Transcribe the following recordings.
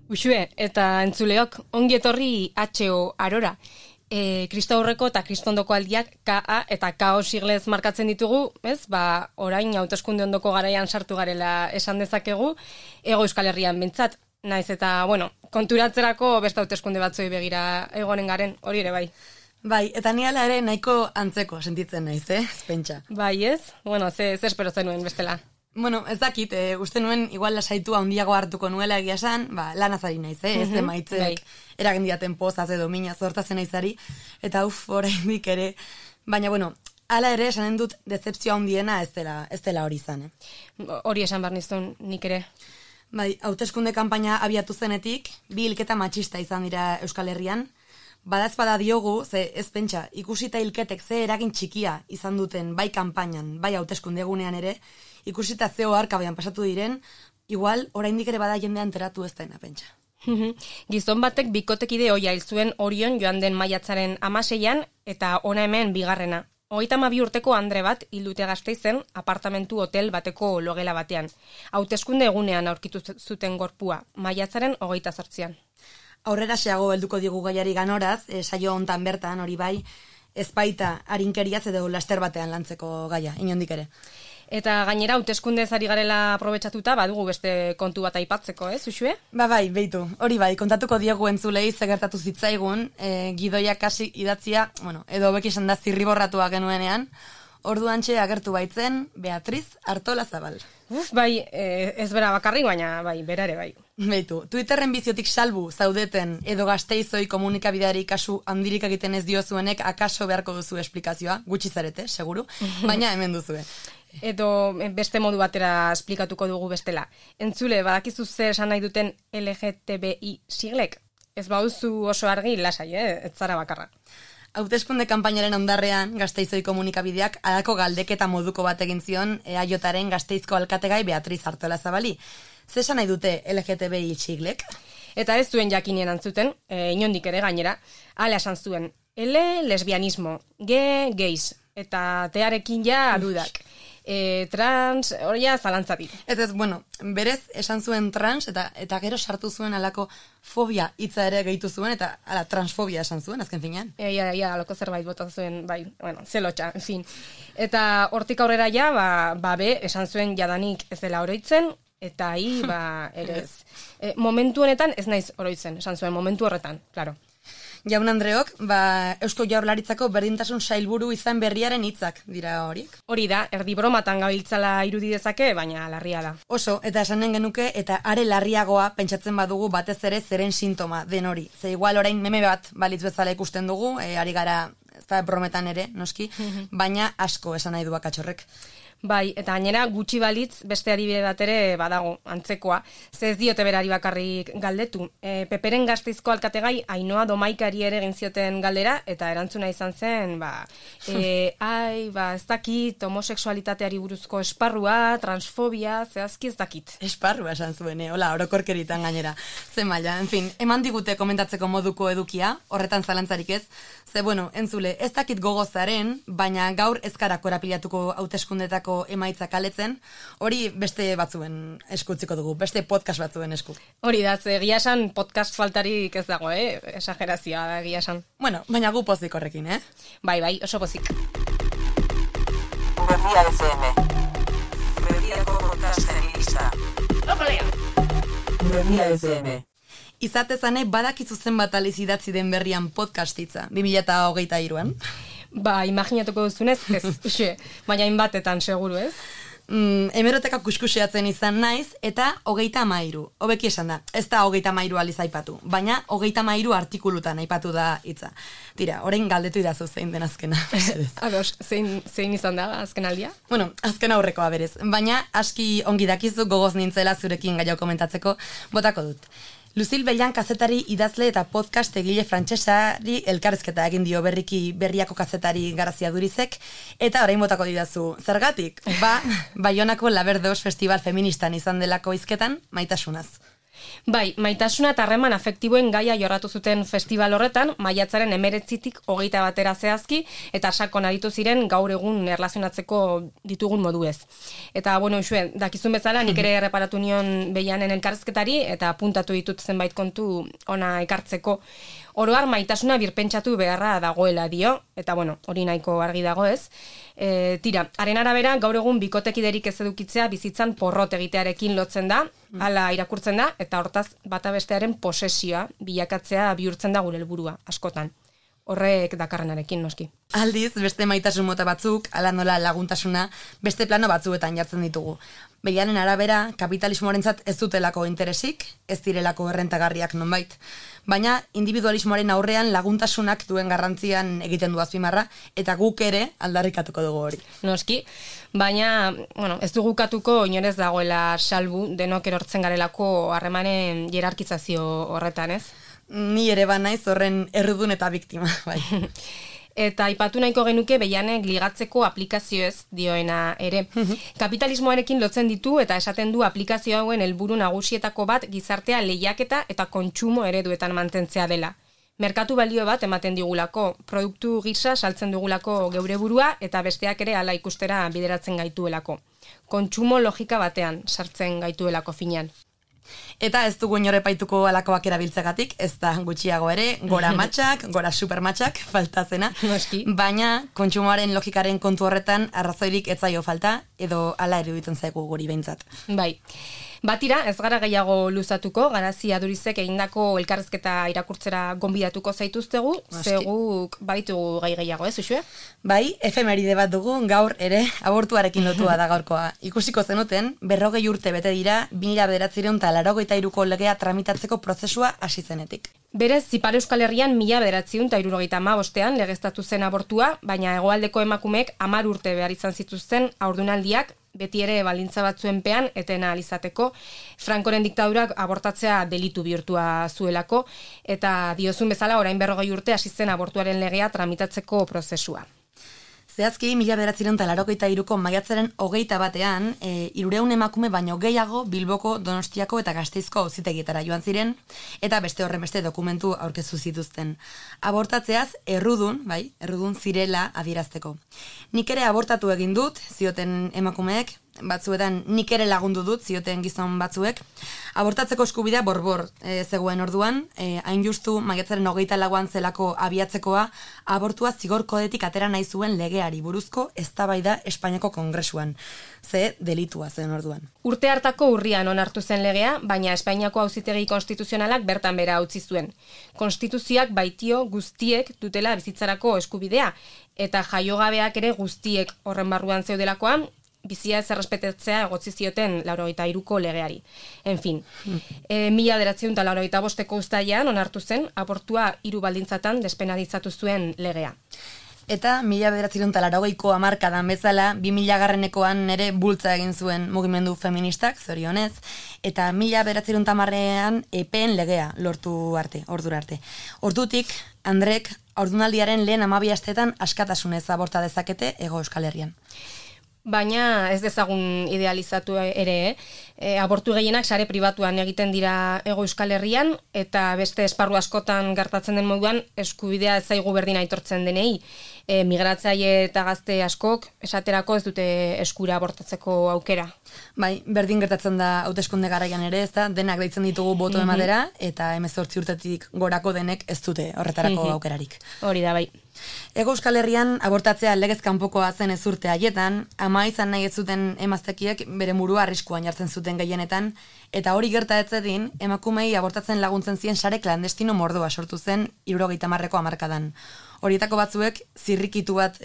Uxue, eta entzuleok, ongi etorri HO Arora. Kristaurreko eta kristondoko aldiak KA eta KO siglez markatzen ditugu, ez? Orain hauteskunde ondoko garaian sartu garela esan dezakegu, Hego Euskal Herrian bintzat. Naiz eta, konturatzerako beste hauteskunde batzoi begira egonen garen, hori ere bai. Bai, eta ni ala ere nahiko antzeko sentitzen naiz, Pentsa. Bai, ez? Ze espero zenuen bestela. Ez dakit, uste nuen igual lasaitua handiago hartuko nuela egia esan, lanaz ari naiz, ez emaitzek eragendiaten pozaz edo mina zortazen naizari, eta oraindik ere, baina hala ere esanen dut decepzioa handiena ez dela hori izan, Hori esan behar nizun nik ere. Bai, hauteskunde kanpaina abiatu zenetik, bi hilketa matxista izan dira Euskal Herrian, badazpada diogu, ez pentsa, ikusita hilketek ze eragin txikia izan duten bai kanpainan, bai hauteskunde egunean ere, ikusita zeo arkabaian pasatu diren, igual oraindik ere bada jendean enteratu ez dena, pentsa. Gizon batek bikotekide ohia hil zuen Orion joan den maiatzaren 16an eta ona hemen bigarrena. 32 urteko Andre bat hil dute Gasteizen apartamentu hotel bateko logela batean. Hauteskunde egunean aurkitu zuten gorpua, maiatzaren 28an. Aurrera xeago helduko digu gaiari ganoraz, saio hontan bertan hori bai, ez baita harinkeriaz edo laster batean lantzeko gaia, inondik ere. Eta gainera hauteskundez ari garela aprobetxatuta, badugu beste kontu bat aipatzeko, Uxue? Bai, beitu. Hori bai, kontatuko diegu entzulei zegertatu zitzaigun, gidoiak hasi idatzia, edo beki esan da zirriborratua genuenean, orduantxe agertu baitzen Beatriz Artolazabal. Bai, ez bera bakarrik, baina bai, bera ere bai. Beitu, Twitterren biziotik salbu zaudeten edo Gasteizoi komunikabideari kasu handirik egiten ez diozuenek akaso beharko duzu esplikazioa, gutxi zarete, seguru, baina hemen duzue. Edo beste modu batera esplikatuko dugu bestela. Entzule, badakizu zer esan nahi duten LGTBI siglek? Ez bauzu oso argi lasai, ez zara bakarra. Hauteskunde kanpainaren ondarrean, Gasteizoi komunikabideak halako galdeketa moduko bat egin zion EAJaren Gasteizko alkategai Beatriz Artolazabali. Zer esan nahi dute LGTBI siglek? Eta ez zuen jakinien antzuten, inondik ere gainera, hala esan zuen, L lesbianismo, G gays, eta tearekin ja dudak. Trans, hori zalantzatik. Berez esan zuen trans eta gero sartu zuen alako fobia hitza ere gehitu zuen eta transfobia esan zuen, azken finean. Alako zerbait bota zuen, zelotxa, en fin. Eta hortik aurrera esan zuen jadanik ez dela oroitzen, eta ere ez. Momentu honetan ez naiz oroitzen, esan zuen, momentu horretan, klaro. Jaun Andreok, Eusko Jaurlaritzako berdintasun sailburu izan berriaren hitzak dira horiek. Hori da, erdi bromatan gabiltzala irudi dezake, baina larria da. Oso, eta esanen genuke, eta are larriagoa pentsatzen badugu batez ere zeren sintoma den hori. Ze igual orain meme bat balitz bezala ikusten dugu, ari gara, ez da brometan ere, noski, baina asko esan nahi du akatxorrek. Bai, eta gainera gutxi balitz beste adibide bat ere badago, antzekoa. Ze ez diote berari bakarrik galdetu. Peperen Gasteizko alkategai Ainoa Domaikari ere egin zioten galdera, eta erantzuna izan zen, ez dakit, homosexualitateari buruzko esparrua, transfobia, zehazki ez dakit. Esparrua esan zuen, hola, orokorkeritan gainera. Ze maila, en fin, eman digute komentatzeko moduko edukia, horretan zalantzarik ez. Ze, entzule, ez dakit gogozaren, baina gaur ezkara korapilatuko hauteskundetako emaitza kaletzen, hori beste batzuen eskutziko dugu, beste podcast batzuen esku. Hori da, egia esan podcast faltarik ez dago, esagerazioa da egia esan. Baina gu pozik horrekin, Bai, oso pozik. Berria FM. Berriako podcasten gisa. Berria FM. Izatezane badakizu zenbat aliz idatzi den berrian podcastitza, 2023an. Imaginatuko duzunez, ez, baina inbatetan seguru, ez? Hemeroteka kuskuseatzen izan naiz, eta 33, hobeki esan da, ez da 33 aliz aipatu, baina 33 artikulutan aipatu da hitza. Tira, orain galdetu idazu zein den azkena. Ados, zein izan da azken aldia? Azken aurrekoa berez, baina aski ongi dakizu gogoz nintzela zurekin gaia komentatzeko, botako dut. Lucille Bellan kazetari idazle eta podcast egile frantsesari elkarrizketa egin dio berriako kazetari Garazia Durizek, eta orain botako didazu. Zergatik? Baionako Laberdos Festival Feministan izan delako hizketan, maitasunaz. Bai, maitasuna eta harreman afektiboen gaia jorratu zuten festival horretan, maiatzaren 19-tik 21 zehazki, eta sakon aritu ziren gaur egun erlazionatzeko ditugun moduez. Eta, bueno, Uxue, dakizun bezala, nik ere erreparatu nion Beianen elkarrizketari, eta puntatu ditut zenbait kontu ona ekartzeko. Oroar maitasuna birpentsatu beharra dagoela dio, eta bueno, hori nahiko argi dago ez. Tira, haren arabera, gaur egun bikotekiderik ez edukitzea bizitzan porrot egitearekin lotzen da, hala irakurtzen da, eta hortaz bata bestearen posesioa bilakatzea bihurtzen da gure helburua askotan. Horrek dakarrenarekin noski. Aldiz, beste maitasun mota batzuk, ala nola laguntasuna, beste plano batzuetan jartzen ditugu. Beianen arabera, kapitalismoarentzat ez dutelako interesik, ez direlako errentagarriak nonbait. Baina, individualismoaren aurrean laguntasunak duen garrantzian egiten du azpimarra, eta guk ere aldarrikatuko dugu hori. Noski, baina, bueno, ez dugu katuko inorez dagoela salbu denok erortzen garelako harremanen hierarkizazio horretan, ez? Ni ere banaiz horren errudun eta biktima, bai. Eta aipatu nahiko genuke Beianek ligatzeko aplikazioez dioena ere. Kapitalismoarekin lotzen ditu eta esaten du aplikazio hauen helburu nagusietako bat gizartea lehiaketa eta kontsumo ereduetan mantentzea dela. Merkatu balio bat ematen digulako, produktu gisa saltzen dugulako geure burua eta besteak ere hala ikustera bideratzen gaituelako. Kontsumo logika batean sartzen gaituelako finean. Eta ez dugu inore paituko alakoak erabiltzegatik, ez da gutxiago ere, gora matxak, gora supermatxak, falta zena. Baina, kontsumoaren logikaren kontu horretan arrazoirik ez zaio falta, edo hala eruditzen zaigu guri behintzat. Bai. Batira, ez gara gehiago luzatuko, Garazi Adurizek egindako elkarrezketa irakurtzera gonbidatuko zaituztegu, zeguk baitugu gai gehiago, ez, Uxue? Bai, efemeride bat dugu, gaur ere, abortuarekin lotua da gaurkoa. Ikusiko zenuten, 40 urte bete dira, 1983ko legea tramitatzeko prozesua hasi zenetik. Berez, Ipar Euskal Herrian 1975ean legeztatu zen abortua, baina hegoaldeko emakumeek 10 urte behar izan zituzten haurdunaldiak, beti ere baldintza batzuenpean etena alizateko, Frankoren diktadurak abortatzea delitu bihurtua zuelako, eta diozun bezala orain 40 urte hasi zen abortuaren legea tramitatzeko prozesua. Zehazki, 1983ko maiatzaren 21ean, 300 emakume baino gehiago Bilboko, Donostiako eta Gasteizko auzitegietara joan ziren, eta beste horren beste dokumentu aurkeztu zituzten. Abortatzeaz errudun zirela adierazteko. Nik ere abortatu egin dut, zioten emakumeek, batzuetan nik ere lagundu dut, zioten gizon batzuek. Abortatzeko eskubidea borbor zegoen orduan, hain justu maiatzaren 24an zelako abiatzekoa, abortua zigor kodetik atera nahi zuen legeari buruzko eztabaida Espainiako Kongresuan. Ze delitua zen orduan. Urte hartako urrian onartu zen legea, baina Espainiako Auzitegi Konstituzionalak bertan bera utzi zuen. Konstituzioak baitio guztiek dutela bizitzarako eskubidea, eta jaiogabeak ere guztiek horren barruan zeudelakoan, bizia ez errespetatzea egotzi zioten 83ko legeari. En fin, 1985ko uztailean onartu zen abortua 3 baldintzatan despenalizatu zuen legea. Eta 1980ko hamarkadan bezala, 2000garrenekoan ere bultza egin zuen mugimendu feministak, zorionez, eta 1980ean epeen legea lortu arte, ordura arte. Ordutik, Andrek haurdunaldiaren lehen 12 asteetan askatasunez aborta dezakete Hego Euskal Herrian. Baina ez dezagun idealizatu ere, abortu gehienak sare pribatuan egiten dira Hego Euskal Herrian, eta beste esparru askotan gertatzen den moduan eskubidea ez zaigu berdin aitortzen denei. Migratzaile eta gazte askok esaterako ez dute eskura abortatzeko aukera. Bai, berdin gertatzen da hauteskunde garaian ere, ez da, denak deitzen ditugu boto ematera, eta 18 urtetik gorako denek ez dute horretarako aukerarik. Hori da, bai. Hego Euskal Herrian abortatzea legez kanpokoa zen ez urte haietan, ama izan nahi ez zuten emaztekiek bere burua arriskuan jartzen zuten gehienetan, eta hori gerta ez zedin, emakumei abortatzen laguntzen zien sare klandestino mordoa sortu zen 70ko hamarkadan. Horietako batzuek zirrikitu bat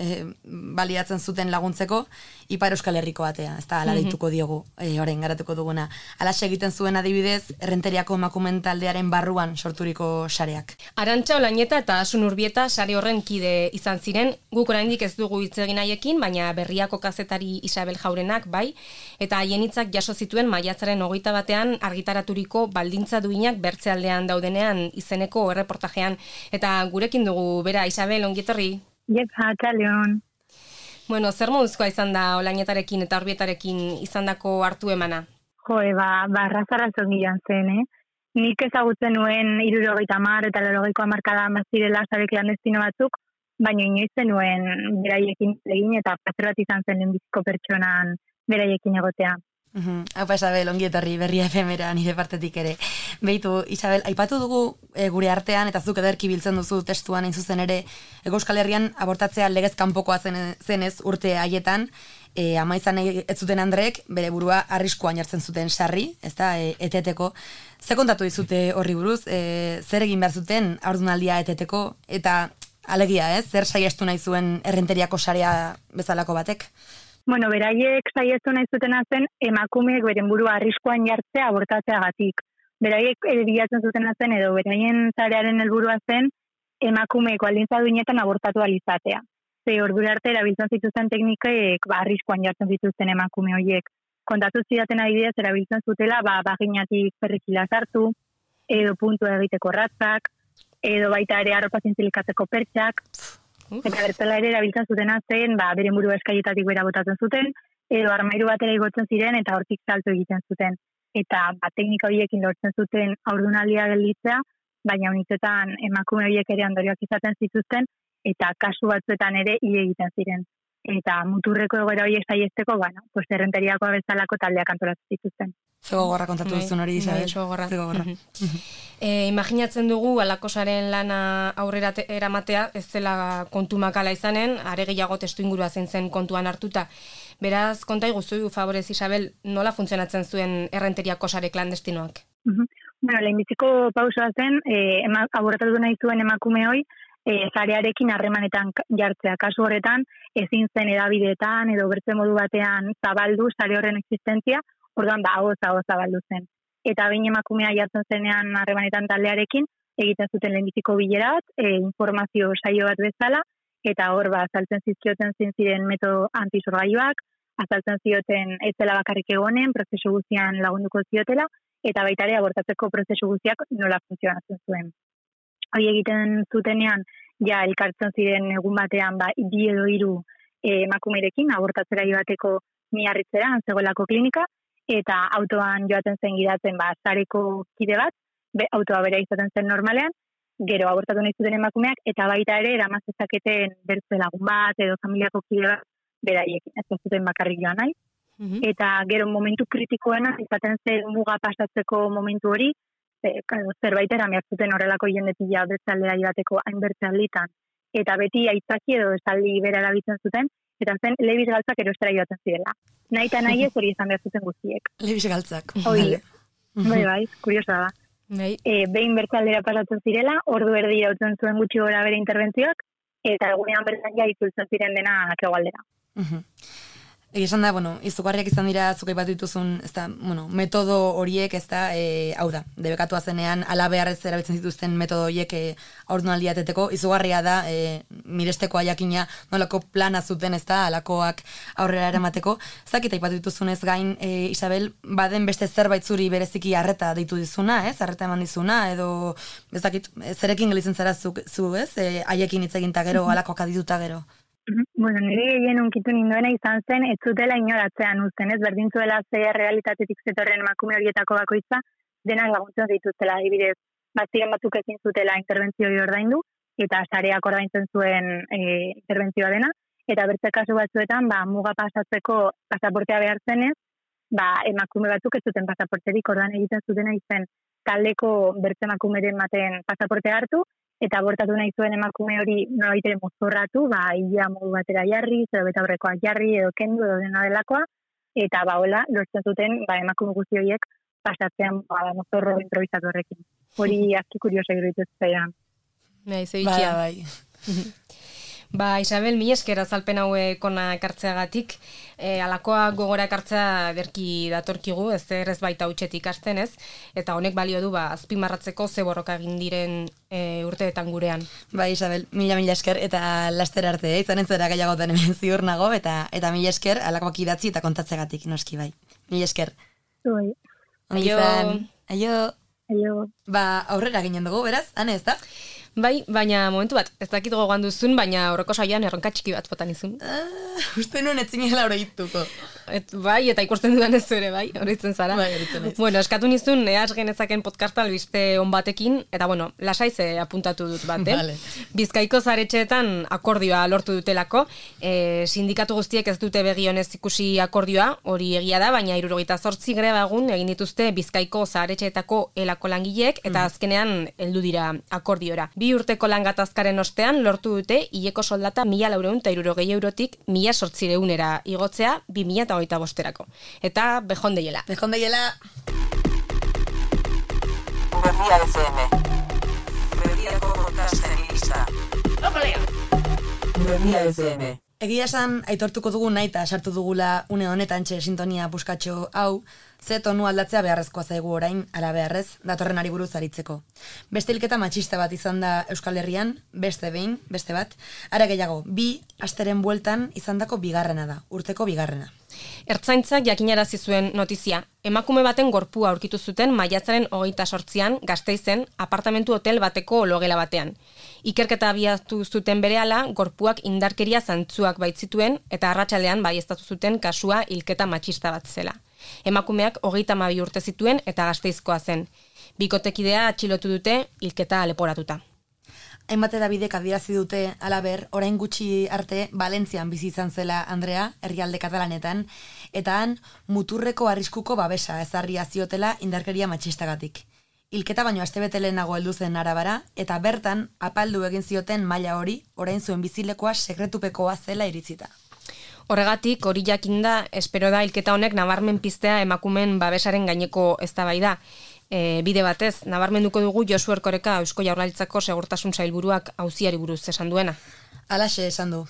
baliatzen zuten laguntzeko Ipar Euskal Herriko atea, ez da, ala deituko diogu, orain garatuko duguna. Alaxe egiten zuen adibidez, Errenteriako emakumen taldearen barruan sorturiko sareak. Arantxa Olañeta eta Asun Urbieta sare horren kide izan ziren, guk oraindik ez dugu hitz egin haiekin, baina Berriako kazetari Isabel Jaurenak bai, eta haien hitzak jaso zituen maiatzaren 21ean argitaraturiko baldintza duinak bertzealdean daudenean izeneko erreportajean, eta gurekin dugu bera Isabel, ongietorri? Jepa, txaleon. Bueno, zer moduzkoa izan da Olañetarekin eta Urbietarekin izandako hartu emana? Joe, arrazarra zongian zen, nik ezagutzen nuen 70 eta 80ko hamarkada bazirela sare klandestino batzuk, baina inoiz zenuen beraiekin egin eta plazer bat izan zen lehenbiziko pertsonan beraiekin egotea. Haupa, Isabel, ongi etorri Berria FM-era nire partetik ere. Beitu, Isabel, aipatu dugu gure artean, eta zuk ederki biltzen duzu testuan hain zuzen ere, Hego Euskal Herrian abortatzea legez kanpokoa zenez urte haietan, ama izan ez zuten Andrek, bere burua arriskuan jartzen zuten sarri, ez da, eteteko. Ze kontatu dizute horri buruz, zer egin behar zuten haurdunaldia eteteko, eta alegia, zer saiestu nahi zuen errenteriako sarea bezalako batek? Bueno, beraiek saiestu nahi zutena zen emakumeek beren burua arriskuan jartzea abortatzeagatik. Beraiek bilatzen zutena zen edo beraien sarearen helburua zen emakumeek baldintza duinetan abortatu ahal izatea. Ze ordura arte erabiltzen zituzten teknikek arriskuan jartzen zituzten emakume horiek. Kontatu zidaten adibidez erabiltzen zutela baginatik perrikila sartu, edo puntua egiteko ratzak, edo baita ere arropa zintzilikatzeko pertsak. Eta bertela ere erabiltzen zutena zen, beren burua eskaietatik bera botatzen zuten, edo armairu batera igotzen ziren eta hortik salto egiten zuten. Eta teknika horiekin lortzen zuten haurdunaldia gelditzea, baina unitzetan emakume horiek ere ondorioak izaten zituzten, eta kasu batzuetan ere hile egiten ziren. Eta muturreko egoera horiek saiesteko, errenteriakoa bezalako taldeak antolatzen zituzten. Zego gorra kontatu duzun hori, Isabel. Zego gorra. Imaginatzen dugu alakosaren lana aurrera eramatea, ez zela kontu makala izanen, are gehiago testu ingurua zen kontuan hartuta. Beraz, konta iguzu, favorez, Isabel, nola funtzionatzen zuen errenteriako sare klandestinoak? Bueno, lehenbiziko pausoa zen, abortatu nahi zuen emakume hoi, zarearekin harremanetan jartzea. Kasu horretan, ezin zen edabideetan edo bertze modu batean zabaldu sare horren existentzia, orduan ahoz zabaldu zen. Eta behin emakumea jartzen zenean harremanetan taldearekin, egiten zuten lehenbiziko bilerat, informazio saio bat bezala, eta hor azaltzen zizkioten ziren metodo antisorgailuak, azaltzen zioten ez zela bakarrik egonen, prozesu guztian lagunduko ziotela, eta baita ere abortatzeko prozesu guztiak nola funtzionatzen zuen. Hori egiten zutenean, elkartzen ziren egun batean, 2 edo 3 emakumerekin, abortatzera joateko Miarritzera, zegoelako klinika, eta autoan joaten zen gidatzen, zareko kide bat, autoa bera izaten zen normalean, gero abortatu nahi zuten emakumeak, eta baita ere, eramazezaketen bertze lagun bat, edo familiako kide bat, beraiekin, ez zuten bakarrik joan nahi. Eta gero momentu kritikoena, izaten zen muga pasatzeko momentu hori, zerbait eramertzuten horrelako jendetila bertzaldera joateko hainbertze alditan. Eta beti aitzaki edo esaldi bera erabiltzen zuten, eta zen Levis galtzak erostera joaten zirela. Nahi eta nahi ez hori izan behar zuten guztiek. Levis galtzak. Bai, kuriosa da. Behin bertzaldera pasatzen zirela, ordu erdi jautzen zuen gutxi gora bere interbentzioak, eta egunean bertan itzultzen ziren dena hegoaldera. Esan da, izugarriak izan dira zuk aipatu dituzun, metodo horiek, hau da, debekatua zenean, ala beharrez erabiltzen zituzten metodo horiek haurdunaldia eteteko, izugarria da, mirestekoa jakina, nolako plana zuten, alakoak aurrera eramateko. Zakit aipatu dituzunez gain, Isabel, baden beste zerbait zuri bereziki arreta deitu dizuna, arreta eman dizuna, edo, ez dakit, zerekin gelitzen zara zu, haiekin hitz egin ta gero, alakoak adituta gero. Bueno, nire gehien unkitu ninduena izan zen, ez zutela inoratzean uzten, berdintzuela ze realitatetik zetorren emakume horietako bakoitza, denak laguntzen dituztela, adibidez, ziren batzuk ezin zutela interbentzio ordaindu, eta sareak ordaintzen zuen interbentzioa dena, eta bertze kasu batzuetan, muga pasatzeko pasaportea behar zenez, emakume batzuk ez zuten pasaporterik, ordan egiten zutena izen taldeko bertze emakumeren baten pasaportea hartu, eta abortatu nahi zuen emakume hori nolabait ere mozorratu, ia modu batera jarri, edo beta horrekoak jarri, edo kendu, edo dena delakoa, eta hola, lortzen zuten emakume guzti horiek pasatzean mozorro improvisatu horrekin. Hori aski kuriosa iruditu zaidan. Bai. Isabel, mi esker azalpen hauek ona ekartzeagatik, alakoa gogora ekartzea berki datorkigu, ez baita hutsetik hasten ez, eta honek balio du azpimarratzeko ze borroka egin diren urteetan gurean. Isabel, mila esker eta laster arte, izanen zera gehiagotan hemen ziur nago, eta mila esker alakoak idatzi eta kontatzegatik, noski bai. Mila esker. Bai. Aio. Aurrera ginen dugu, beraz? Hane, ez da? Bai, baina momentu bat, ez dakit gogoan duzun, baina aurreko saioan erronka txiki bat botan izun. Uste nuen etzinela oroituko. Bai, eta ikusten dudan ez ere, bai, horitzen zara. Bai, horitzen naiz. Bueno, eskatu nizun, has genezaken podcasta albiste on batekin, eta bueno, lasai ze apuntatu dut bat, Vale. Bizkaiko zaretxeetan akordioa lortu dutelako, sindikatu guztiek ez dute begionez ikusi akordioa, hori egia da, baina 78 greba egun egin dituzte Bizkaiko zaretxeetako elako langileek, eta azkenean heldu dira akordiora. 2 urteko lan gatazkaren ostean lortu dute hileko soldata 1.460 eurotik 1.800 igotzea 2025erako. Eta behondeiela. Behondeiela. Berria FM. Berriako podcasten gisa. Berria FM. Egia esan, aitortuko dugu nahi eta sartu dugula une honetan txe sintonia buskatxo hau, ze tonu aldatzea beharrezkoa zaigu orain, ala beharrez, datorren ari buruz aritzeko. Beste hilketa matxista bat izan da Euskal Herrian, beste behin, beste bat, ara gehiago, 2 asteren bueltan izandako bigarrena da, urteko bigarrena. Ertzaintzak jakinarazi zuen notizia. Emakume baten gorpua aurkitu zuten maiatzaren 28an Gasteizen apartamentu hotel bateko logela batean. Ikerketa abiatu zuten berehala, gorpuak indarkeria zantzuak baitzituen eta arratsaldean baieztatu zuten kasua hilketa matxista bat zela. Emakumeak 32 urte zituen eta Gasteizkoa zen. Bikotekidea atxilotu dute hilketa leporatuta. Hainbat edabidek adierazi dute halaber, orain gutxi arte Valentzian bizi izan zela Andrea, herrialde katalanetan, eta han muturreko arriskuko babesa ezarria ziotela indarkeria matxistagatik. Hilketa baino astebete lehenago heldu zen arabara, eta bertan apaldu egin zioten maila hori, orain zuen bizilekoa sekretupekoa zela iritzita. Horregatik, hori jakinda, espero da hilketa honek nabarmen piztea emakumeen babesaren gaineko eztabaida. Bide batez, nabarmenduko dugu Josu Erkoreka Eusko Jaurlaritzako Segurtasun Sailburuak auziari buruz esan duena. Alaxe esan du.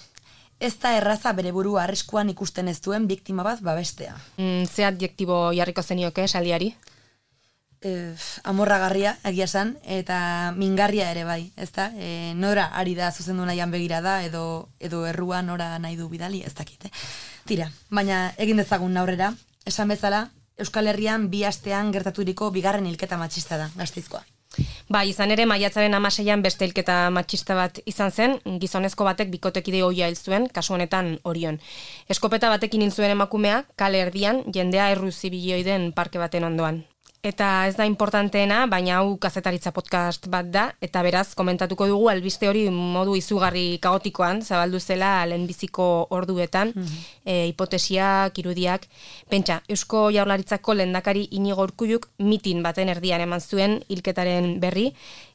Ez da erraza bere burua arriskuan ikusten ez duen biktima bat babestea. Ze adjektibo jarriko zenioke esaldiari? Amorragarria, egia esan, eta mingarria ere bai, ezta? Nora ari da zuzendu nahian begirada, edo errua nora nahi du bidali, ez dakit. Tira, baina egin dezagun aurrera, esan bezala, Euskal Herrian 2 astean gertaturiko bigarren hilketa matxista da, Gasteizkoa. Ba, izan ere, maiatzaren 16an beste hilketa matxista bat izan zen, gizonezko batek bikotekide ohia hil zuen, kasu honetan Orion. Eskopeta batekin hil zuen emakumea, kale erdian, jendea erru zibiloi den parke baten ondoan. Eta ez da importanteena, baina hau kazetaritza podcast bat da, eta beraz komentatuko dugu albiste hori modu izugarri kaotikoan, zabaldu zela lehenbiziko orduetan, hipotesiak, irudiak. Pentsa, Eusko Jaurlaritzako lehendakari Inigo Urkulluk mitin baten erdian eman zuen hilketaren berri,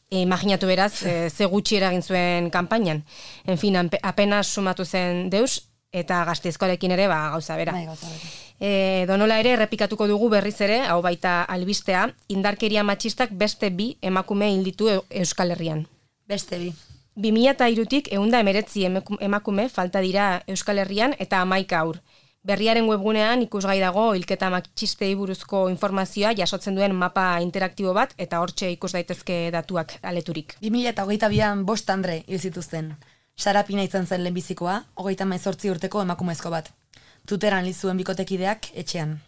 imaginatu beraz, ze gutxi eragin zuen kanpainan. En fin, apenas sumatu zen deus, eta Gasteizkoarekin ere gauza bera. Bai, gauza bera. Donola ere errepikatuko dugu berriz ere, hau baita albistea, indarkeria matxistak beste 2 emakume hil ditu Euskal Herrian. Beste 2. 2003tik 119 emakume falta dira Euskal Herrian eta 11 haur. Berriaren webgunean ikusgai dago hilketa matxistei buruzko informazioa jasotzen duen mapa interaktibo bat eta hortxe ikus daitezke datuak aleturik. 2022an 5 andre hil zituzten. Sara Pina izan zen lehenbizikoa, 38 urteko emakumezko bat. Tuteran hil zuen bikotekideak etxean.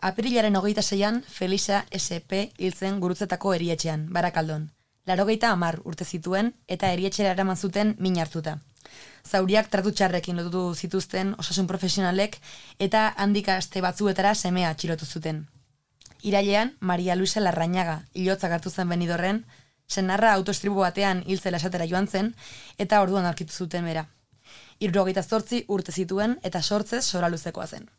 Aprilaren 26an Felisa SP hil zen Gurutzetako erietxean, Barakaldon. 90 urte zituen eta erietxera eraman zuten min hartuta. Zauriak tratu txarrekin lotutu zituzten osasun profesionalek eta handik aste batzuetara semea atxilotu zuten. Irailean, Maria Luisa Larrañaga hilotzak hartu zen Benidorren, senarra autoestribo batean hil zela esatera joan zen eta orduan aurkitu zuten bera. 78 urte zituen eta sortzez soraluzekoa zen.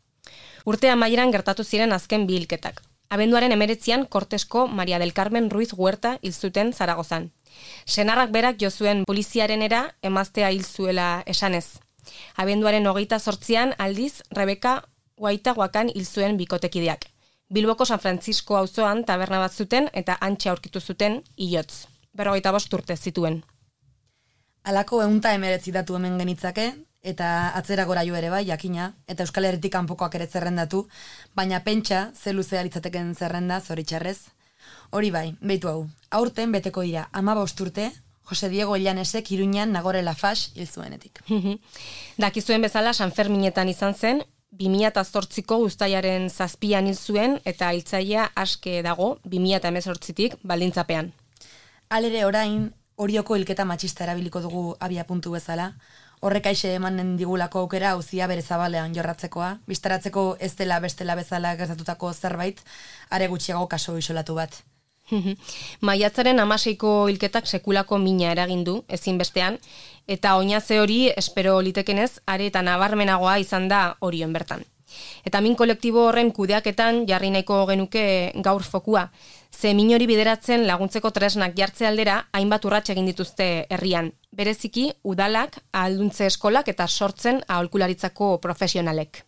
Urte amaieran gertatu ziren azken 2 hilketak. Abenduaren 19an Kortesko Maria del Carmen Ruiz Huerta hil zuten Zaragozan. Senarrak berak jo zuen poliziarenera emaztea hil zuela esanez. Abenduaren 28an aldiz Rebeka Guaitaguakan hil zuen bikotekideak. Bilboko San Francisco auzoan taberna bat zuten eta hantxe aurkitu zuten hilotz. 45 urte zituen. Halako 119 datu hemen genitzake, eta atzera gora jo ere bai, jakina, eta Euskal Herritik kanpokoak ere zerrendatu, baina pentsa, ze luzea litzateken zerrenda, zoritxarrez. Hori bai, beitu hau, aurten beteko dira 15 urte, Jose Diego Illanesek Iruñan Nagore Lafax hil zuenetik. Dakizuen bezala Sanferminetan izan zen, 2008ko uztailaren 7an hil zuen eta hiltzailea aske dago 2018tik baldintzapean. Halere orain, Orioko hilketa matxista erabiliko dugu abia puntu bezala. Horrek aixe emanen digulako aukera auzia bere zabalean jorratzekoa, bistaratzeko ez dela bestela bezala gertatutako zerbait, are gutxiago kaso isolatu bat. Maiatzaren 16ko hilketak sekulako mina eragin du, ezinbestean, eta oinaze hori espero litekenez, are eta nabarmenagoa izan da Orion bertan. Eta min kolektibo horren kudeaketan jarri nahiko genuke gaur fokua. Ze min hori bideratzen laguntzeko tresnak jartze aldera, hainbat urrats egin dituzte herrian. Bereziki, udalak, ahalduntze eskolak eta sortzen aholkularitzako profesionalek.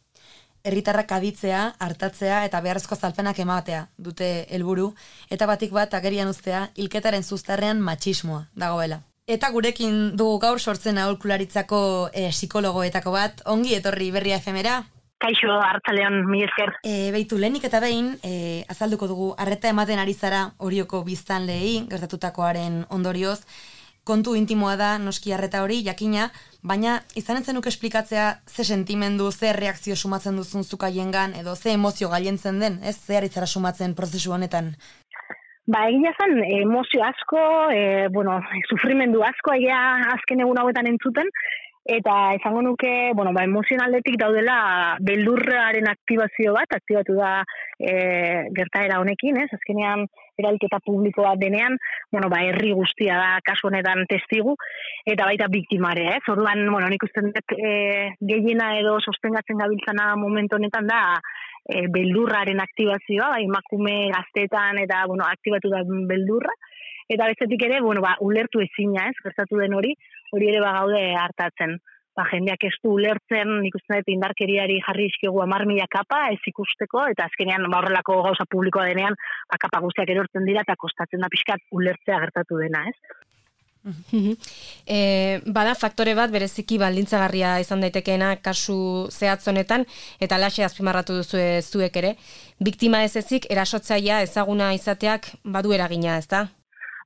Herritarrak aditzea, hartatzea eta beharrezko zalpenak ematea dute helburu, eta batik bat agerian uztea hilketaren zuztarrean matxismoa dagoela. Eta gurekin dugu gaur sortzen aholkularitzako psikologoetako bat, ongi etorri Berria FM-era. Kaixo, hartzaleon, mi esker. Beitu, lehenik eta behin, azalduko dugu, arreta ematen ari zara Orioko biztanleei, gertatutakoaren ondorioz, kontu intimoa da, noski arreta hori, jakina, baina izanen zenuke esplikatzea ze sentimendu, ze reakzio sumatzen duzun zukaiengan, edo ze emozio gailentzen den, ez? Ze aritzara sumatzen prozesu honetan? Egia zen, emozio asko, sufrimendu asko, azken egun hauetan entzuten, eta esango nuke, emozionaldetik daudela beldurraren aktibazio bat, aktibatu da gertaera honekin, ez? Azkenean eralketa publiko bat denean, herri guztia da kasu honetan testigu, eta baita biktimare, ez? Orduan, nik uste dut gehiena edo sostengatzen gabiltzana momentu honetan da beldurraren aktibazioa, emakume gaztetan eta, aktibatu da beldurra, eta bestetik ere, ulertu ezina, ez? Gertatu den hori ere gaude hartatzen. Jendeak ez du ulertzen, nik uste dut indarkeriari jarri izkigu 10.000 kapa, ez ikusteko, eta azkenean horrelako gauza publikoa denean, kapa guztiak erortzen dira, eta kostatzen da pixkat ulertzea gertatu dena, ez? Bada faktore bat bereziki baldintzagarria izan daitekeena kasu zehatz honetan, eta alaxe azpimarratu duzu zuek ere, biktima ez ezik erasotzailea ezaguna izateak badu eragina, ezta?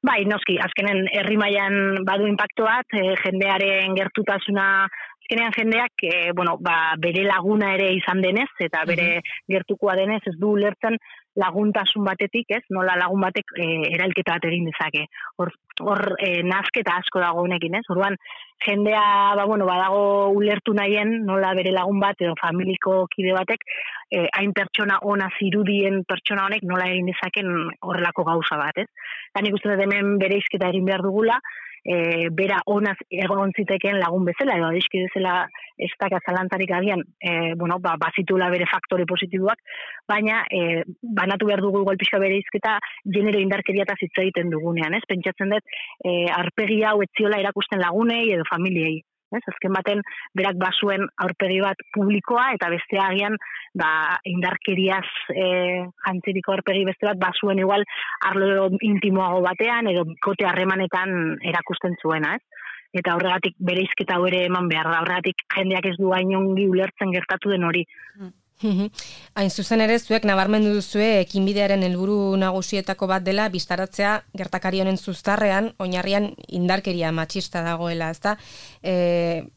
Bai, noski, azkenen herri mailan badu inpaktu bat, jendearen gertutasuna, azkenean jendeak bere laguna ere izan denez, eta bere gertukoa denez ez du ulertzen laguntasun batetik, ez? Nola lagun batek eralketa bat egin dezake. Hor nazketa asko dago honekin, ez? Orduan jendea badago ulertu nahien nola bere lagun bat edo familiko kide batek hain pertsona ona zirudien pertsona honek nola egin dezaken horrelako gauza bat, ez? Eta nik uste dut hemen bereizketa egin behar dugula, bera onaz egon zitekeen lagun bezala, edo adizki bezala ez daka zalantzarik agian, bazitula bere faktore positiboak, baina banatu behar dugu igual pixka bereizketa genero indarkeriataz hitz egiten dugunean, ez? Pentsatzen dut, aurpegi hau etziola erakusten lagunei edo familiei. Azken baten, berak bazuen aurpegi bat publikoa, eta beste agian indarkeriaz jantziriko aurpegi beste bat bazuen igual arlo intimoago batean, edo kote harremanetan erakusten zuena, ez? Eta horregatik bereizketa hau ere eman behar da, horregatik jendeak ez du hain ongi ulertzen gertatu den hori. Hain zuzen ere, zuek nabarmendu duzue ekinbidearen helburu nagusietako bat dela bistaratzea gertakari honen zuztarrean, oinarrian indarkeria matxista dagoela, ezta?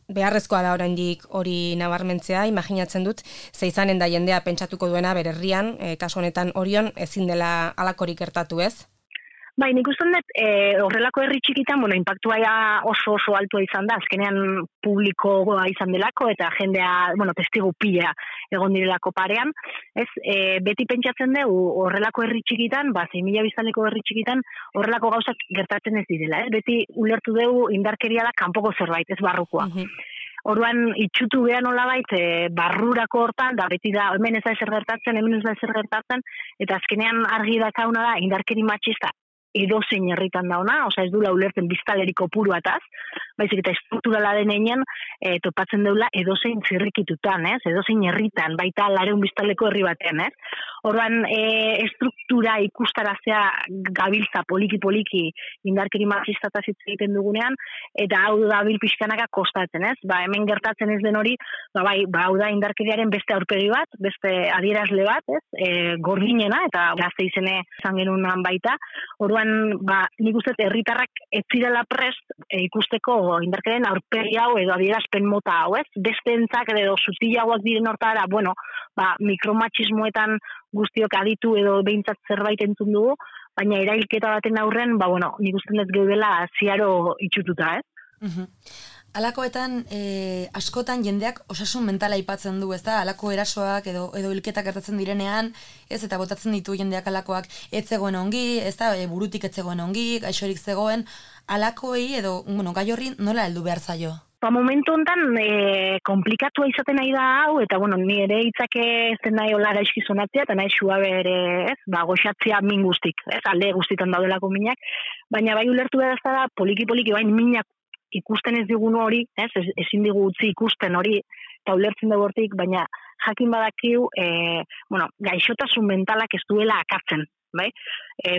Beharrezkoa da oraindik hori nabarmentzea, imaginatzen dut, ze izanen da jendea pentsatuko duena bere herrian, kasu honetan Orion ezin dela halakorik gertatu, ez? Bai, nik uste dut, horrelako herri txikitan, inpaktua oso altua izan da, azkenean publikoa izan delako, eta jendea, testigu pila egon direlako parean, ez, beti pentsatzen dugu horrelako herri txikitan, 6.000 biztanleko herri txikitan, horrelako gauzak gertatzen ez direla, beti ulertu dugu indarkeria da kanpoko zerbait, ez barrukoa. Orduan, itxutu beha nolabait, barrurako hortan, da beti da, hemen ez da ezer gertatzen, hemen ez da ezer gertatzen, eta azkenean argi dakauna da, indarkeri matxista, edozein herritan dauna, ez dula ulertzen biztaleriko puruataz, baizik eta estrukturala denean topatzen deula edozein zirrikitutan, edozein herritan, baita 200 biztaleko herri batean, Orduan, estruktura ikustarazea gabiltza poliki indarkeri matxistataz hitz egiten dugunean, eta hau da bil pixkanaka kostatzen, hemen gertatzen ez den hori, hau da indarkeriaren beste aurpegi bat, beste adierazle bat, gordinena, eta gazte izene izan genunan baita. Orduan, orduan, nik uste herritarrak ez zirela prest ikusteko indarkeriaren aurpegi hau edo adierazpen mota hau, ez? Bestentzak edo sutilagoak diren hortara, mikromatxismoetan guztiok aditu edo behintzat zerbait entzun dugu, baina erailketa baten aurren, nik uste dut geudela ziaro itxututa, ez? Alakoetan, askotan jendeak osasun mentala aipatzen du, ez da? Alako erasoak edo hilketak gertatzen direnean, ez, eta botatzen ditu jendeak alakoak ez zegoen ongi, ez da, burutik ez zegoen ongi, gaixorik zegoen, alakoei edo, gai horri nola heldu behar zaio? Momentu honetan komplikatua izaten nahi da hau, eta ni ere hitzak ez den nahi hola gaizki sonatzea, eta nahi suabe ere, ez, goxatzea min guztik, ez, alde guztitan daudelako minak, baina bai ulertu behar ez da, poliki bain minak ikusten ez digun hori, ez, ezin digu utzi ikusten hori, eta ulertzen dugu hortik, baina jakin badakiu, gaixotasun mentalak ez duela akatzen, bai?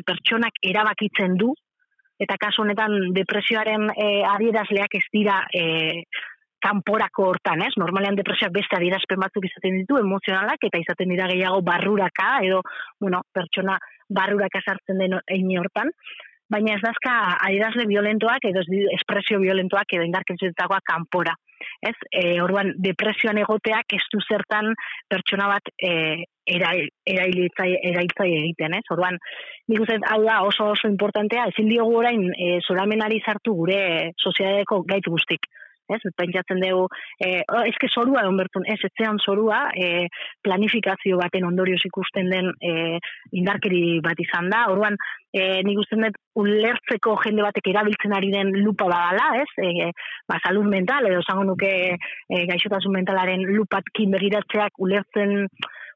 Pertsonak erabakitzen du, eta kasu honetan depresioaren adierazleak ez dira kanporako hortan, ez? Normalean depresioak beste adierazpen batzuk izaten ditu, emozionalak, eta izaten dira gehiago barruraka, edo, pertsona barruraka sartzen den eine hortan, baina ez dazka adierazle violentoak edo espresio violentoak edo indarkerietakoak kanpora. Ez? Orduan, depresioan egoteak ez du zertan pertsona bat erailtzai egiten, ez? Orduan, nik uste hau da oso importantea, ezin diogu orain zoramenari sartu gure soziedadeko gaitz guztik. Ez, pentsatzen dugu, eske zorua egon bertun, etzean zorua, planifikazio baten ondorioz ikusten den indarkeri bat izan da. Orduan, nik usten dut ulertzeko jende batek erabiltzen ari den lupa badala, ez? Salud mental, edo esango nuke gaixotasun mentalaren lupatkin begiratzeak ulertzen,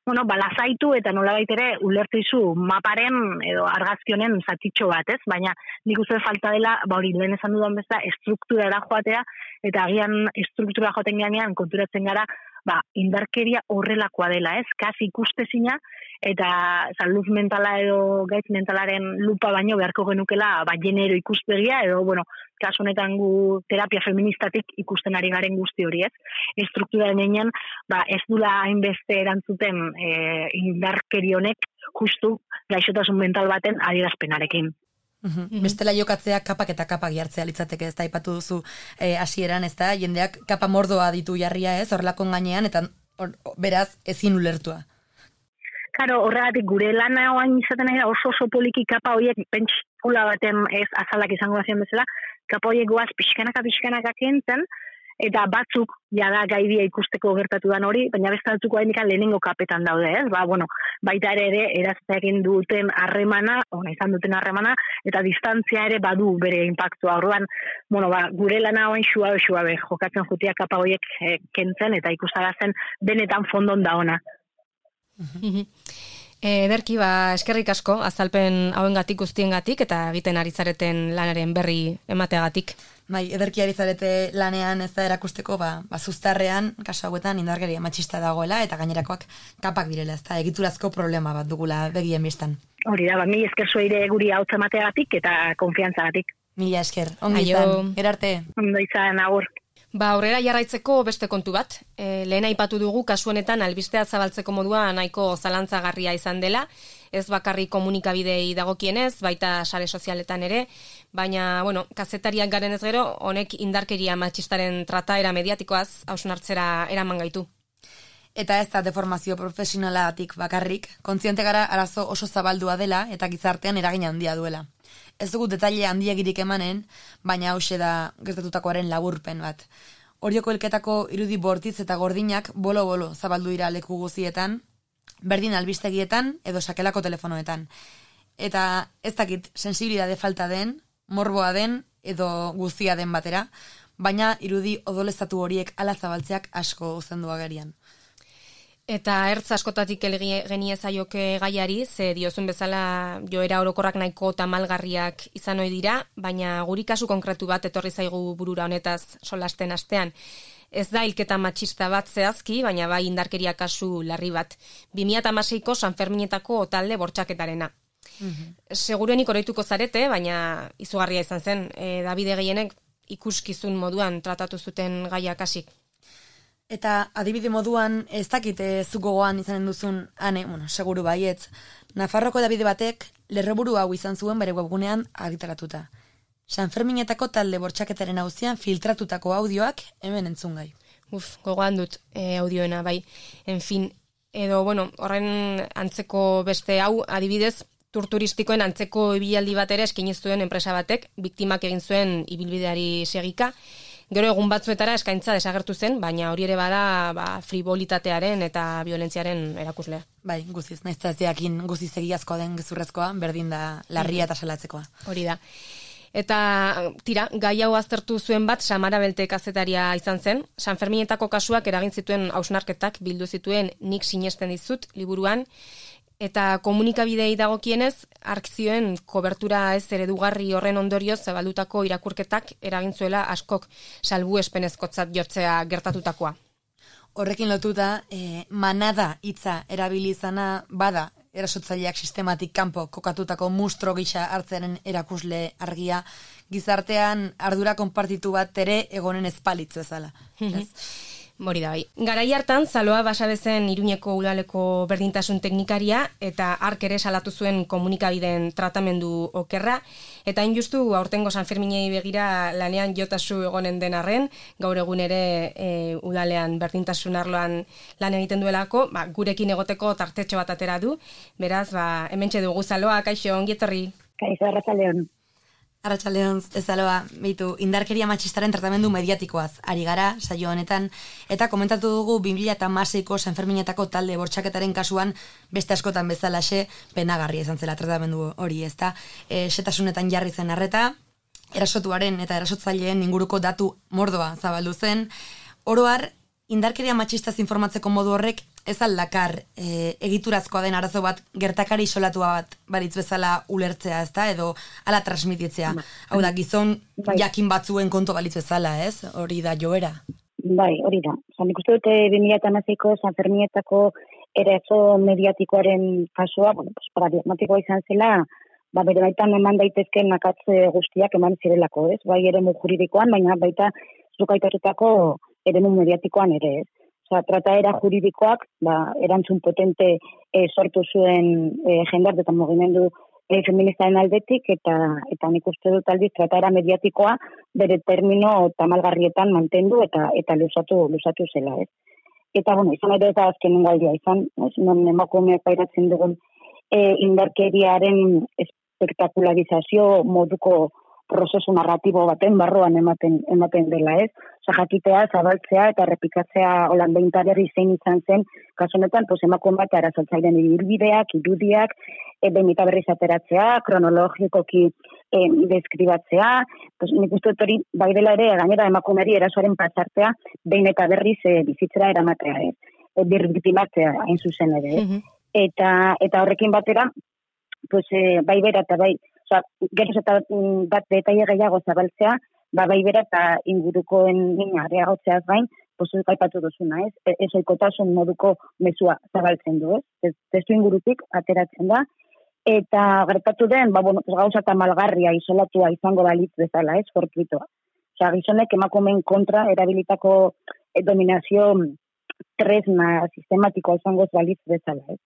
lasaitu eta nolabait ere ulertzizu maparen edo argazkionen zatitxo bat, ez? Baina nik uste falta dela, hori lehen esan dudan bezala, estrukturara joatea, eta agian estruktura joaten ganean konturatzen gara, indarkeria horrelakoa dela, ez? Kasi ikustezina, eta salud mentala edo gaitz mentalaren lupa baino beharko genukela, genero ikuspegia, edo, kasu honetan gu terapia feministatik ikusten ari garen guzti hori, ez? Estruktura denean, ez dula hainbeste erantzuten indarkeri honek justu gaixotasun mental baten adierazpenarekin. Bestela jokatzea kapak eta kapak jartzea litzateke, ez da, aipatu duzu hasieran, ez da, jendeak kapa mordoa ditu jarria, ez, horrelakon gainean, eta beraz ezin ulertua. Karo, horregatik gure lana oain izaten ari da oso poliki kapa horiek pentsikula baten ez azalak izango bazien bezala, kapa horiek goaz pixkanaka kentzen, eta batzuk jada gaidia ikusteko gertatu dan hori, baina beste batzuk hainikan lehenengo kapetan daude, ez? Baita ere erazteakin duten harremana, izan duten harremana, eta distantzia ere badu bere impactua. Orduan, gure lana oain suabe, jokatzen jutia kapa horiek kentzen, eta ikustarazten benetan fondon da ona. Ederki, eskerrik asko, azalpen hauengatik guztiengatik eta egiten ari zareten lanaren berri emateagatik. Ederki ari zarete lanean ez da erakusteko, zuztarrean, kasu hauetan indarkeria matxista dagoela eta gainerakoak kapak direla, ez da egiturazko problema bat dugula begien biztan. Hori da, mi esker zueire guri hau emateagatik eta konfiantzagatik. Mila esker, ondo izan, gerarte. Ondo izan, agur. Aurrera jarraitzeko beste kontu bat. Lehen aipatu dugu kasu honetan albistea zabaltzeko modua nahiko zalantzagarria izan dela, ez bakarrik komunikabidei dagokienez, baita sare sozialetan ere, baina, kazetariak garen ez gero, honek indarkeria matxistaren trataera mediatikoaz hausnartzera eraman gaitu. Eta ez da deformazio profesionalatik bakarrik, kontziente gara arazo oso zabaldua dela eta gizartean eragin handia duela. Ez dugu detaile handiegirik emanen, baina hause da gertatutakoaren laburpen bat. Orioko hilketako irudi bortitz eta gordinak bolo-bolo zabaldu dira leku guzietan, berdin albistegietan edo sakelako telefonoetan. Eta ez dakit sensibilidade falta den, morboa den edo guztia den batera, baina irudi odoleztatu horiek ala zabaltzeak asko uzendu agerian. Eta ertz askotatik geniezaioke gaiari, ze diozun bezala joera orokorrak nahiko tamalgarriak izan ohi dira, baina guri kasu konkretu bat etorri zaigu burura honetaz solasten astean. Ez da hilketa matxista bat zehazki, baina bai indarkeria kasu larri bat. 2016ko San Ferminetako talde bortxaketarena. Seguruenik oroituko zarete, baina izugarria izan zen, Davide gehienek ikuskizun moduan tratatu zuten gaia kasik. Eta adibide moduan, ez dakit zuk gogoan izanen duzun, seguru baietz, Nafarroko hedabide batek lerroburu hau izan zuen bere webgunean argitaratuta. Sanferminetako talde bortxaketaren auzian filtratutako audioak hemen entzungai. Gogoan dut audioena, bai. En fin, edo, horren antzeko beste hau, adibidez, tur turistikoen antzeko ibilaldi bat ere eskaini zuen enpresa batek, biktimak egin zuen ibilbideari segika. Gero egun batzuetara eskaintza desagertu zen, baina hori ere bada frivolitatearen eta violentziaren erakuslea. Bai, guziz, naiz eta ez diakin guziz egiazkoa den gezurrezkoa, berdin da larria eta salatzekoa. Hori da. Eta, gai hau aztertu zuen bat Samara Belte kazetaria izan zen. Sanferminetako kasuak eragin zituen hausnarketak bildu zituen Nik sinesten dizut liburuan, eta komunikabidei dagokienez, arkzioen kobertura ez eredugarri horren ondorioz zabaldutako irakurketak eragin zuela askok salbuespenezkotzat jotzea gertatutakoa. Horrekin lotuta, manada hitza erabili izana bada erasotzaileak sistematik kanpo kokatutako mustro gisa hartzearen erakusle argia, gizartean ardura konpartitu bat ere egonen ezpalitz bezala. Hori da bai. Garai hartan, Zaloa Basabezen Iruñeko udaleko berdintasun teknikaria eta hark ere salatu zuen komunikabideen tratamendu okerra, eta injustu aurtengo Sanferminei begira lanean jotasu egonen den arren, gaur egun ere udalean berdintasun arloan lan egiten duelako, gurekin egoteko tartetxo bat atera du, beraz, hementxe dugu Zaloa, kaixo, ongi etorri. Kaixo, arratsaldeon. Arratsaldeon, Zaloa, indarkeria matxistaren tratamendu mediatikoaz ari gara, saio honetan, eta komentatu dugu 2016ko Sanferminetako talde bortxaketaren kasuan beste askotan bezalaxe penagarria izan zela tratamendu hori, ezta? Setasunetan jarri zen arreta, erasotuaren eta erasotzaileen inguruko datu mordoa zabaldu zen. Oro har, indarkeria matxistaz informatzeko modu horrek ez aldakar egiturazkoa den arazo bat gertakari isolatua bat baritz bezala ulertzea, ezta, edo ala transmititzea. Hau da, gizon jakin batzuen kontu balitz bezala, ez? Hori da joera. Bai, hori da. Nik uste dute 2016ko Sanferminetako eraso mediatikoaren kasua, paradigmatikoa izan zela, bere baitan eman daitezken akatze guztiak eman zirelako, ez? Bai eremu juridikoan, baina baita zuk aitatutako eremu mediatikoan ere, ez? Trataera juridikoak, erantzun potente sortu zuen jendarte eta mugimendu feministaren aldetik, eta nik uste dut aldiz trataera mediatikoa bere termino tamalgarrietan mantendu eta luzatu zela, ez. Eta, izan ere ez da azkenen galdia izan, non emakumeak pairatzen dugun indarkeriaren espektakularizazio moduko prozesu narratibo baten barruan ematen dela, ez? Jakitea, zabaltzea eta errepikatzea holan behintarri zein izan zen, kasu honetan, emakume bat erasotzaileen ibilbideak, irudiak, behin eta berriz ateratzea, kronologikoki deskribatzea, nik uste dut hori, bai dela ere, gainera emakumeari erasoaren pasartea, behin eta berriz bizitzera eramatea, ez? Birriktimatzea, hain zuzen ere, ez? Eta horrekin batera, bai bera eta bai, geroz eta bat detaile gehiago zabaltzea, bai bera eta ingurukoen nina areagotzeaz gain, aipatu duzuna, ez? Ezoikotasun moduko mezua zabaltzen du, ez? Testu ingurutik ateratzen da, eta gertatu den, gauza eta malgarria isolatua izango balitz bezala, ez? Fortuitoa. Gizonek emakumeen kontra erabilitako dominazio tresna sistematikoa izango balitz bezala, ez?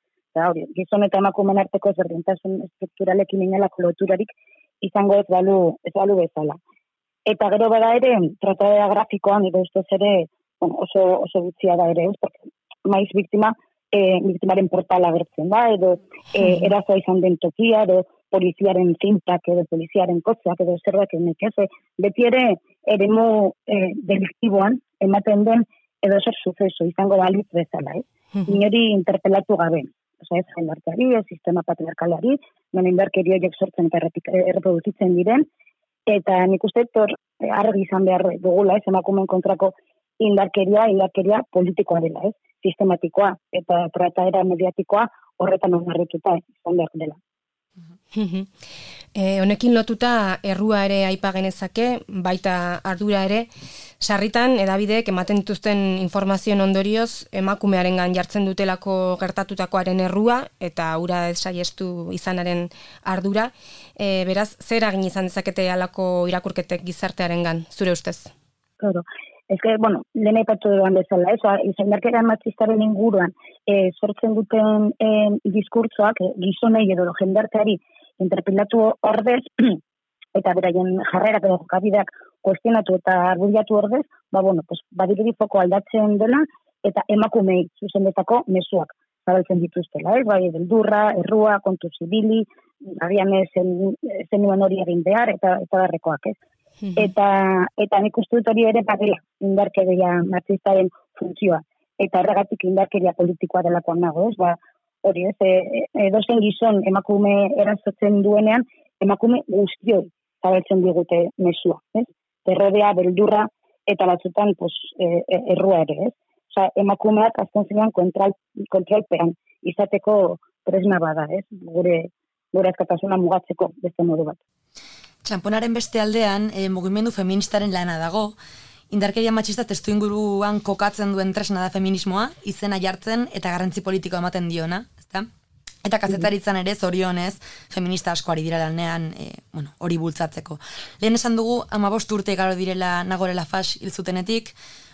Gizon eta emakumeen arteko ezberdintasun estrukturalekin inolako loturarik izango ez balu bezala. Eta gero bada ere, trataera grafikoan, edo ustez ere, oso gutxia da ere, maiz biktimaren portala agertzen da, edo erazoa izan den tokia, edo poliziaren zintak, edo poliziaren kotzeak, edo zerbait nekeze, beti ere eremu deliktiboan ematen den edo zer suceso izango balitz bezala, inori interpelatu gabe. Ez jendarteari, ez sistema patriarkalari, non indarkeri horiek sortzen eta erreproduzitzen diren, eta nik uste argi izan behar dugula, ez emakumeen kontrako indarkeria politikoa dela, ez? Sistematikoa eta trataera mediatikoa horretan oinarrituta izan behar dela. Honekin lotuta errua ere aipa genezake, baita ardura ere, sarritan edabideek ematen dituzten informazioen ondorioz emakumearengan jartzen dutelako gertatutakoaren errua eta hura ez saiestu izanaren ardura. Beraz, zer eragin izan dezakete halako irakurketek gizartearengan, zure ustez? Claro. bueno, lehen aipatu duan bezala, indarkeria matxistaren inguruan sortzen duten diskurtsoak gizonei edo jendarteari interpelatu ordez, eta beraien jarrerak edo jokabideak kuestionatu eta argudiatu ordez, badirudi foko aldatzen dela, eta emakumei zuzendetako mezuak zabaltzen dituztela, bai, beldurra, errua, kontu zibili, agian zenuen hori egin behar, eta barrekoak, ez? Eta nik uste dut hori ere badela indarkeria matxistaren funtzioa, eta horregatik indarkeria politikoa delakoan nago, ez? Hori ez, edozen gizon emakume erazotzen duenean, emakume guztioi zabaltzen digute mesua, ez? Terrodea, beldurra, eta batzutan errua ere, ez? Osa, emakumeak azken zinean kontrolpean izateko tresna bada, ez? Gure askatasuna mugatzeko beste modu bat. Txamponaren beste aldean, mugimendu feministaren lana dago, indarkeria matxista testuinguruan kokatzen duen tresna da feminismoa, izena jartzen eta garrantzi politikoa ematen diona, ezta? Eta kazetaritzan ere, zorionez, feminista asko ari dira lanean, hori bultzatzeko. Lehen esan dugu, 15 urte igaro direla Nagore Laffage hil zutenetik,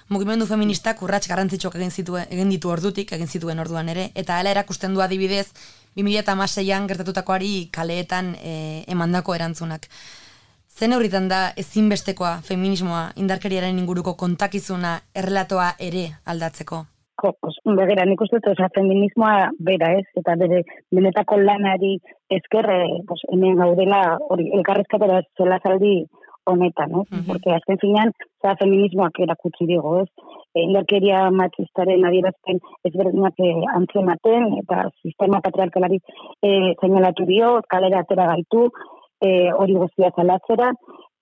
mugimendu feministak urrats garrantzitsuak egin ditu ordutik, egin zituen orduan ere, eta hala erakusten du adibidez, 2016an gertatutakoari kaleetan emandako erantzunak. Zen horritan da ezinbestekoa feminismoa indarkeriaren inguruko kontakizuna errelatoa ere aldatzeko? Begira, nik uste dut, feminismoa bera, ez? Eta bere benetako lanari esker, hemen gaudela hori elkarrezkatera solazaldi honetan, ez? Porque azken finean, feminismoak erakutsi digo, ez? Indarkeria matxistaren adierazpen ezberdinak antzematen, eta sistema patriarkalari seinalatu dio, kalera atera gaitu, hori guztia zalatzera,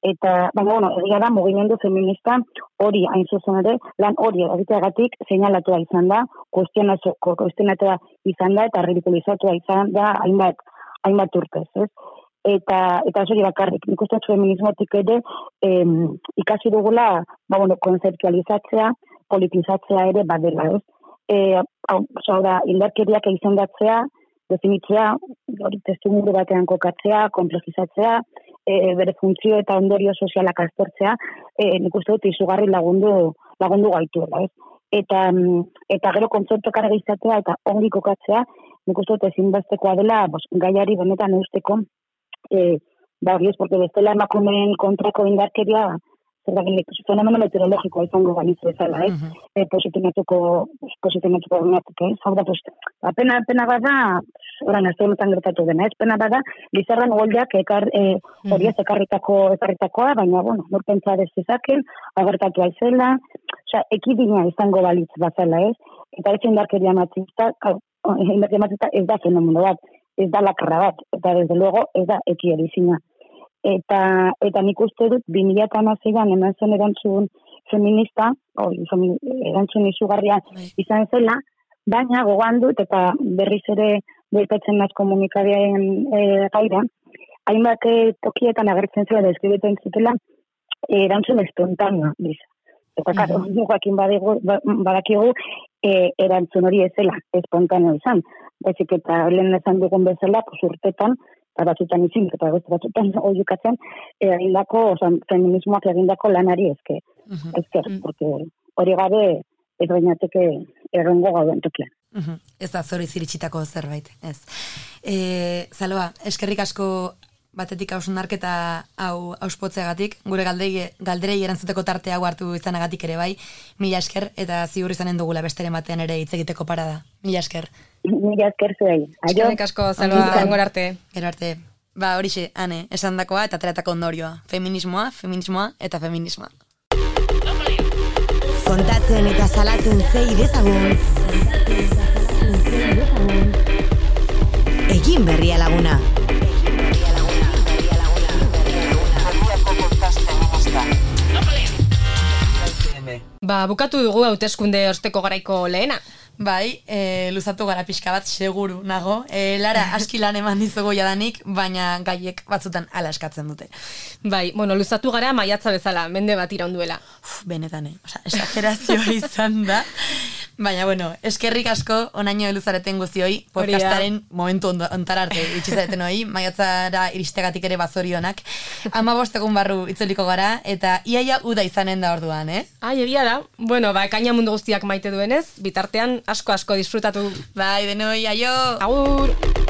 eta, egia da, mugimendu feminista hori hain zuzen ere, lan hori egiteagatik seinalatua izan da, kuestionatua izan da, eta ridikulizatua izan da hainbat urtez, ez? Eta hori bakarrik, nik uste feminismotik ere ikasi dugula, konzeptualizatzea, politizatzea ere badela, ez? Indarkeriak izendatzea, definitzea, hori testuinguru batean kokatzea, komplexizatzea, bere funtzio eta ondorio sozialak aztertzea, nik uste dut izugarri lagundu gaituela, ez? Eta gero kontzeptuak argi izatea eta ongi kokatzea, nik uste dut ezinbestekoa dela, gaiari benetan eusteko, hori ez, porque bestela emakumeen kontrako indarkeria, fenomeno meteorologikoa izango balitz bezala, ez? Posizionatuko duenatik, ez? Hau da, pena bada, oran ez honetan gertatu dena, ez? Pena bada, Lizarran Goldeak hori ez ekarritakoa, baina, norpentsa dezizaken, agertatu aizela, ekidina izango balitz bazala, ez? Eta ez indarkeria matxista ez da fenomeno bat, ez da lakarra bat, eta desde luego ez da ekierizina. Eta nik uste dut 2016an eman zen erantzun feminista, erantzun izugarria izan zela, baina gogoan dut eta berriz ere bueltatzen naz komunikabiaren gaira, hainbat tokietan agertzen zela deskribeten zutela erantzun espontáneo bisa. Eta karo, jakin badakigu erantzun hori ez zela espontáneo izan. Baizik eta lehen esan dugun bezala, urtetan, batzutan izin, eta batzutan oiukatzen, feminismoak egindako lanari esker, porque hori gabe ez bainateke errengo gauden tokian. Ez da zori ziritsitako zerbait, ez. Zaloa, eskerrik asko batetik hausnarketa hau auspotzeagatik, gure galderei erantzuteko tarte hau hartu izanagatik ere bai, mila esker, eta ziur izanen dugula besteren batean ere hitz egiteko parada. Mila esker. Mila esker zuei. Eskerrik asko, Zaloa, gero arte. Gero arte. Horixe, Ane, esandakoa eta ateratako ondorioa. Feminismoa eta feminismoa. Kontatzen eta salatzen zei dezagun. Egin berria laguna. Bukatu dugu hauteskunde osteko garaiko lehena. Bai, luzatu gara pixka bat, seguru nago. Lara, aski lan eman dizugu jadanik, baina gaiek batzutan ala eskatzen dute. Bai, luzatu gara maiatza bezala, mende bat iraunduela. Benetan, esagerazioa izan da. Baina, bueno, eskerrik asko onaino heluzareten guzioi, podcastaren momentu ontara arte itxizareten hoi, maiatzara iristegatik ere bazorionak. 15 egun barru itzuliko gara, eta iaia uda izanen da orduan, Ai, egia da. Bueno, ekaina mundu guztiak maite duenez, bitartean asko disfrutatu. Bai, denoi, aio! Agur!